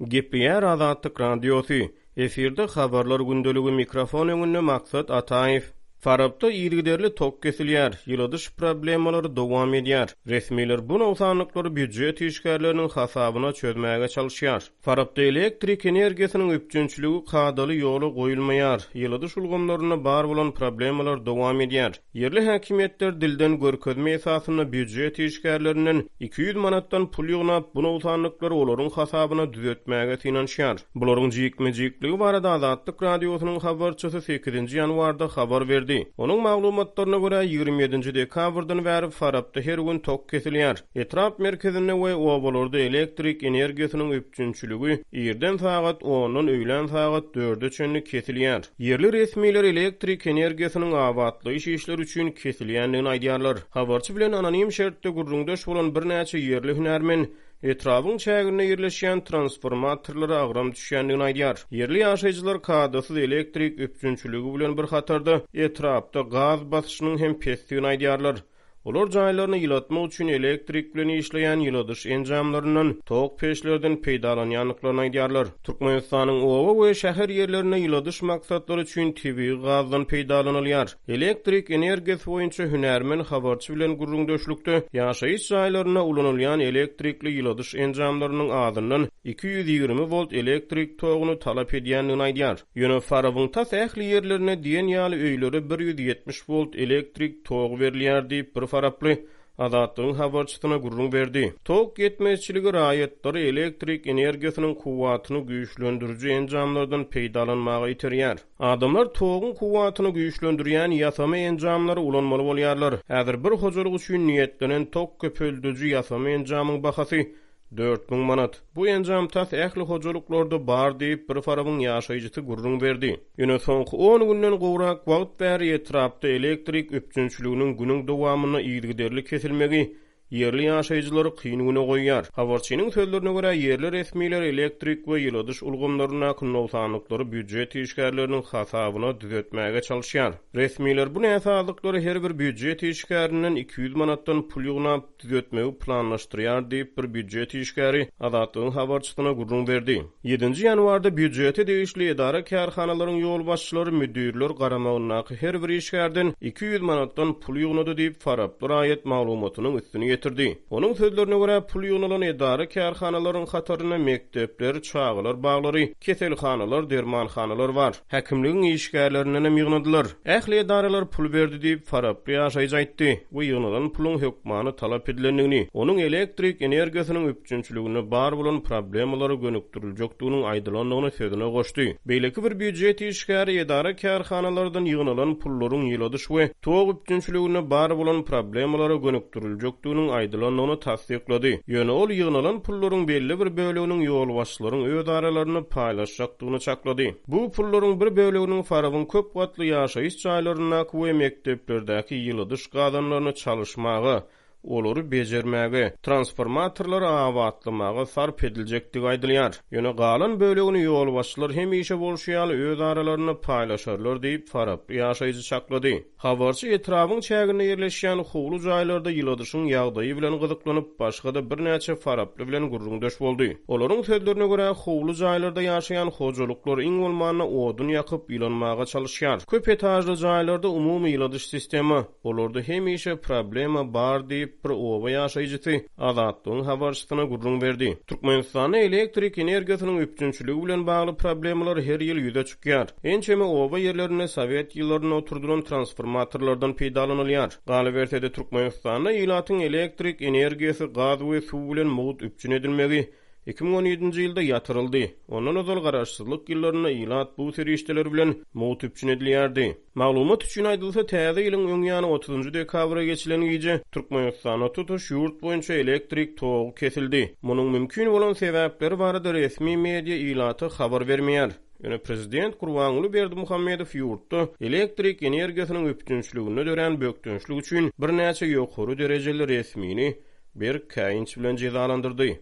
Gepleýär Azatlyk Radiosy, Efirde Habarlar gündeligi mikrofon öňünde Maksat Ataýew. Farapda yzygiderli tok kesilýär, ýyladyş problemalary dowam edýär. Resmiler bu nogsanlyklary býujet işgärleriniň hasabyna çözmäge çalyşýar. Farapda elektrik energiýasynyň üpjünçiligi kadaly ýola goýulmaýar, ýyladyş ulgamlarynda bar bolan problemalar dowam edýär. Ýerli häkimiýetler dilden görkezme esasynda býujet işgärlerinden 200 manatdan pul ýygnap, bu nogsanlyklary olaryň hasabyna düzetmäge synanyşýar. Bularyň jikme-jikligi barada Azatlyk Radiosynyň habarçysy sekizinji ýanwarda habar berdi. Onuň maglumatlaryna görä, 27-nji dekabrdan bäri Farapda her gün tok kesilýär. Etrap merkezinde we obalarda elektrik energiýasynyň üpjünçiligi irden sagat ondan öýlän sagat dörde çenli kesilýär. Ýerli resmiler elektrik energiýasynyň abatlaýyş işleri üçin kesilýändigini aýdýarlar. Habarçy bilen anonim şertde gürrüňdeş bolan birnäçe ýerli hünärmen etrabyň çäginde ýerleşýän transformatorlara agram düşýändigini aýdýar. Ýerli ýaşaýjylar kadasyz elektrik üpjünçiligi bilen bir hatarda etrapda gaz basyşynyň hem pesdigini aýdýarlar. Olar jaýlaryny ýylatmak üçin elektrik bilen işleýän ýyladyş enjamlaryndan, tok peçlerden peýdalanýandyklaryny aýdýarlar. Türkmenistanyň oba we şäher ýerlerinde ýyladyş maksatlary üçin tebigy gazdan peýdalanylýar. Elektrik energiýasy boýunça hünärmen habarçy bilen gürrüňdeşlikde ýaşaýyş jaýlarynda ulanylýan elektrikli ýyladyş enjamlarynyň azyndan 220 wolt elektrik toguny talap edýändigini aýdýar. Ýöne Farabyň tas ähli ýerlerinde diýen ýaly öýlere 170 wolt elektrik togy berilýär diýip, bir faraply Azatlygyň habarçysyna gürrüň berdi. Tok ýetmezçiligi raýatlary elektrik energiýasynyň kuwwatyny güýçlendiriji enjamlardan peýdalanmaga iterýär. Adamlar toguň kuwwatyny güýçlendirýän ýasama enjamlary ulanmaly bolýarlar. Häzir bir hojalyk üçin niýetlenen tok köpeldiji ýasama enjamyň bahasy 4000 manat. Bu enjam tas ähli hojalyklarda bar diýip, bir Farabyň ýaşaýjysy gürrüň berdi. Ýöne soňky on günden gowrak wagt bäri etrapda elektrik üpjünçiliginiň günüň dowamynda yzygiderli kesilmegi ýerli ýaşaýjylary kyn güne goýýar. Habarçynyň sözlerine görä, ýerli resmiler elektrik we ýyladyş ulgamlaryndaky nogsanlyklary býujet işgärleriniň hasabyna düzetmäge çalyşýar. Resmiler bu näsazlyklary her bir býujet işgärinden 200 manatdan pul ýygnap, düzetmegi planlaşdyrýar diýip, bir býujet işgäri Azatlygyň habarçysyna gürrüň berdi. Ýedinji ýanwarda býujete degişli edara-kärhanalaryň ýolbaşçylary müdirler garamagyndaky her bir işgärden 200 manatdan pul ýygnady diýip, faraply raýat maglumatynyň üstüni ýetirdi. Onuň sözlerine görä, pul ýygnalan edara-kärhanalaryň hatarynda mekdepler, çagalar baglary, keselhanalar, dermanhanalar bar. Häkimligiň işgärlerindenem ýygnadylar. Ähli edaralar pul berdi diýip, faraply ýaşaýjy aýtdy we ýygnalan puluň hökmany talap edilendigini, onuň elektrik energiýasynyň üpjünçiliginde bar bolan problemalara gönükdiriljekdiginiň aýdylandygyny sözüne goşdy. Beýleki bir býujet işgäri edara-kärhanalardan ýygnalan pullaryň ýyladyş we tok üpjünçiliginde bar bolan problemalara gönükdiriljekdiginiň aýdylandygyny tassyklady. Ýöne ol ýygnalan pullaryň belli bir böleginiň ýolbaşçylaryň öz aralarynda paýlaşjakdygyny çaklady. Bu pullaryň bir böleginiň Farabyň köp gatly ýaşaýyş jaýlaryndaky we mekdeplerdäki ýyladyş gazanlaryny çalyşmaga, olary bejermäge, transformatorlary abatlamaga sarp ediljekdigi aýdylýar. Ýöne galan bölegini ýolbaşçylar hemişe bolşy ýaly öz aralarynda paýlaşarlar diýip, faraply ýaşaýjy çaklady. Habarçy etrabyň çäginde ýerleşýän howly jaýlarda ýyladyşyň ýagdaýy bilen gyzyklanyp, başga-da birnäçe faraply bilen gürrüňdeş boldy. Olaryň sözlerine görä, howly jaýlarda ýaşaýan hojalyklar iň bolmanda odun ýakyp, ýylanmaga çalyşýar. Köp etažly jaýlarda umumy ýyladyş sistema, olarda hemişe problema bar diýip, bir oba ýaşaýjysy Azatlygyň habarçysyna gürrüň berdi. Türkmenistanda elektrik energiýasynyň üpjünçiligi bilen bagly problemalar her ýyl ýüze çykýar. Ençeme oba ýerlerinde sowet ýyllarynda oturdylan transformatorlardan peýdalanylýar. Galyberse-de, Türkmenistanda ilatyň elektrik energiýasy, gaz we suw bilen mugt üpjün edilmegi 2017-nji ýylda ýatyryldy. Ondan ozal garaşsyzlyk ýyllarynda ilat bu serişdeler bilen mugt üpjün edilýärdi. Maglumat üçin aýdylsa, täze ýylyň öň ýany otuzynjy dekabra geçilen gije Türkmenistanda tutuş ýurt boýunça elektrik togy kesildi. Munuň mümkin bolan sebäpleri barada resmi media ilata habar bermeýär. Ýöne prezident Gurbanguly Berdimuhamedow ýurtda elektrik energiýasynyň üpjünçiliginde dörän bökdençlik üçin birnäçe ýokary derejeli resmini berk käýinç bilen jezalandyrdy.